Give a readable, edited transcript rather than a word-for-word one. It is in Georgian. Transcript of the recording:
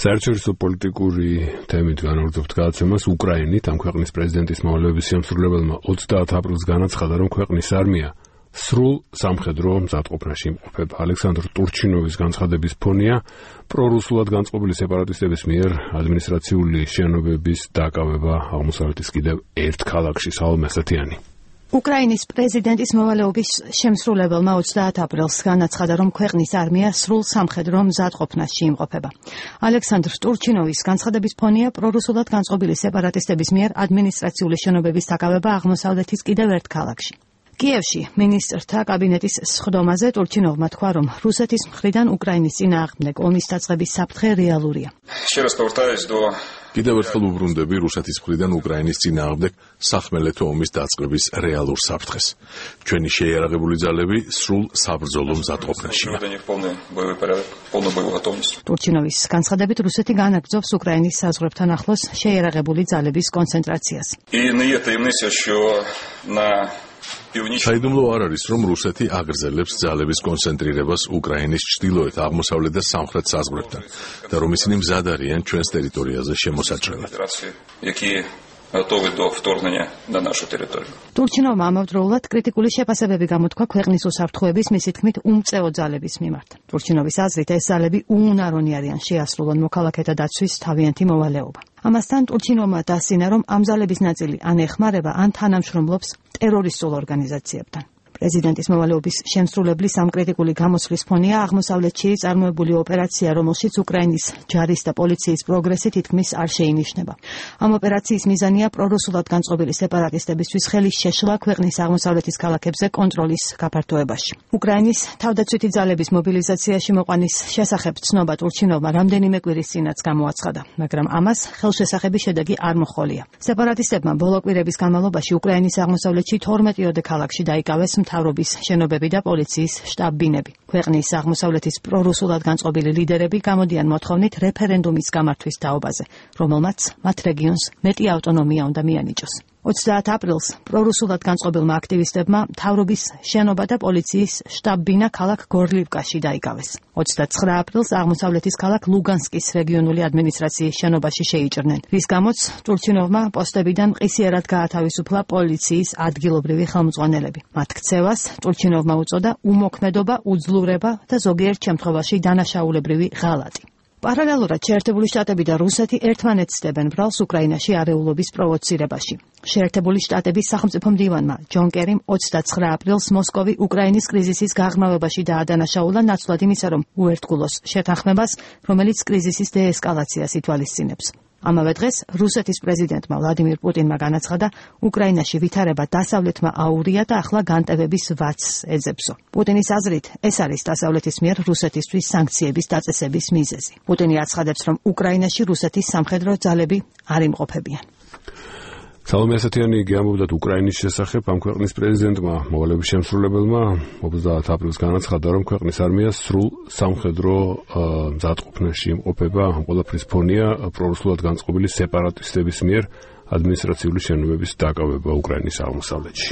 საერთაშორისო პოლიტიკური თემით განაგრძობთ გადაცემას უკრაინით. ამ ქვეყნის პრეზიდენტის მოვალეობის შემსრულებელმა 30 აპრილს განაცხადა, რომ ქვეყნის არმია სრულ სამხედრო მზადყოფნაში იმყოფება. ალექსანდრ ტურჩინოვის განცხადების ფონია პრორუსულად განწყობილი სეპარატისტების მიერ ადმინისტრაციული შენობების დაკავება აღმოსავლეთის კიდევ ერთ ქალაქში. სალომე ასათიანი. უკრაინის პრეზიდენტის მოვალეობის შემსრულებელმა 30 აპრილს განაცხადა, რომ ქვეყნის არმია სრულ სამხედრო მზადყოფნაში იმყოფება. ალექსანდრ ტურჩინოვის განცხადების ფონია პრორუსულად განწყობილი სეპარატისტების მიერ ადმინისტრაციული შენობების დაკავება აღმოსავლეთის კიდევ ერთ ქალაქში. კიევში მინისტრთა კაბინეტის სხდომაზე ტურჩინოვმა თქვა, რომ რუსეთის მხრიდან უკრაინის წინააღმდეგ ომის დაწყების საფრთხე რეალურია. კიდევ ერთხელ უბრუნდები რუსეთის მხრიდან უკრაინის წინააღმდეგ სახმელეთო ომის დაწყების რეალურ საფრთხეს. ჩვენი შეიარაღებული ძალები სრულ საბრძოლო მზადყოფნაშია. ტურჩინოვის განცხადებით, რუსეთი განაგრძობს უკრაინის საზღვრებთან ახლოს შეიარაღებული ძალების კონცენტრაციას. საიდუმლო არ არის, რომ რუსეთი აგრძელებს ძალების კონცენტრირებას უკრაინის ჩრდილოეთ, აღმოსავლეთ და სამხრეთ საზღვრებთან და რომ ისინი მზად არიან ჩვენს ტერიტორიაზე შემოსაჭრელად. ტურჩინოვმა ამავდროულად კრიტიკული შეფასებები გამოთქვა ქვეყნის უსაფრთხოების, მისი თქმით, უმწეო ძალების მიმართ. ტურჩინოვის აზრით, ეს ძალები უუნარონი არიან შეასრულონ მოქალაქეთა დაცვის თავიანთი მოვალეობა. ამასთან ტურჩინოვმა დასცინა, რომ ამ ძალების ნაწილი ან ეხმარება, ან თანამშრომლობს ტერორისტულ ორგანიზაციებთან. პრეზიდენტის მოვალეობის შემსრულებლის ამ კრიტიკული გამოსვლის ფონია აღმოსავლეთში წარმოებული ოპერაცია, რომელშიც უკრაინის ჯარის და პოლიციის პროგრესი თითქმის არ შეინიშნება. ამ ოპერაციის მიზანია პრორუსულად განწყობილი სეპარატისტებისთვის ხელის შეშლა ქვეყნის აღმოსავლეთის ქალაქებზე კონტროლის გაფართოებაში. უკრაინის თავდაცვითი ძალების მობილიზაციაში მოყვანის შესახებ ცნობა ტურჩინოვმა რამდენიმე კვირის წინაც გამოაცხადა, მაგრამ ამას ხელშესახები შედეგი არ მოჰყოლია. სეპარატისტებმა ბოლო კვირების განმავლობაში უკრაინის აღმოსავლეთში 12 ქალაქში დაიკავეს მთავრობის შენობები და პოლიციის შტაბ-ბინები. ქვეყნის აღმოსავლეთის პრორუსულად განწყობილი ლიდერები გამოდიან მოთხოვნით რეფერენდუმის გამართვის თაობაზე, რომელმაც მათ რეგიონს მეტი ავტონომია უნდა მიანიჭოს. 30 აპრილს პრორუსულად განწყობილმა აქტივისტებმა მთავრობის შენობა და პოლიციის შტაბ-ბინა ქალაქ გორლივკაში დაიკავეს. 29 აპრილს აღმოსავლეთის ქალაქ ლუგანსკის რეგიონული ადმინისტრაციის შენობაში შეიჭრნენ, რის გამოც ტურჩინოვმა პოსტებიდან მყისიერად გაათავისუფლა პოლიციის ადგილობრივი ხელმძღვანელები. მათ ქცევას ტურჩინოვმა უწოდა უმოქმედობა, უძლურება და ზოგიერთ შემთხვევაში დანაშაულებრივი ღალატი. პარალელურად შეერთებული შტატები და რუსეთი ერთმანეთს დებენ ბრალს უკრაინაში არეულობის პროვოცირებაში. შეერთებული შტატების სახელმწიფო მდივანმა ჯონ კერიმ 29 აპრილს მოსკოვი უკრაინის კრიზისის გაღრმავებაში დაადანაშაულა ნაცვლად იმისა, რომ უერთგულოს შეთანხმებას, რომელიც კრიზისის დეესკალაციას ითვალისწინებს. ამავე დღეს რუსეთის პრეზიდენტმა ვლადიმირ პუტინმა განაცხადა, უკრაინაში ვითარება დასავლეთმა აურია და ახლა განტევების ვაცს ეძებსო. პუტინის აზრით, ეს არის დასავლეთის მიერ რუსეთისთვის სანქციების დაწესების მიზეზი. პუტინი აცხადებს, რომ უკრაინაში რუსეთის სამხედრო ძალები არ იმყოფებიან. სალომე ასათიანი გეამბობდათ უკრაინის შესახებ. ამ ქვეყნის პრეზიდენტმა მოვალეობის შემსრულებელმა 30 აპრილს განაცხადა, რომ ქვეყნის არმია სრულ სამხედრო მზადყოფნაში იმყოფება. ამ ყველაფრის ფონია პრორუსულად განწყობილი სეპარატისტების მიერ ადმინისტრაციული შენობების დაკავება უკრაინის აღმოსავლეთში.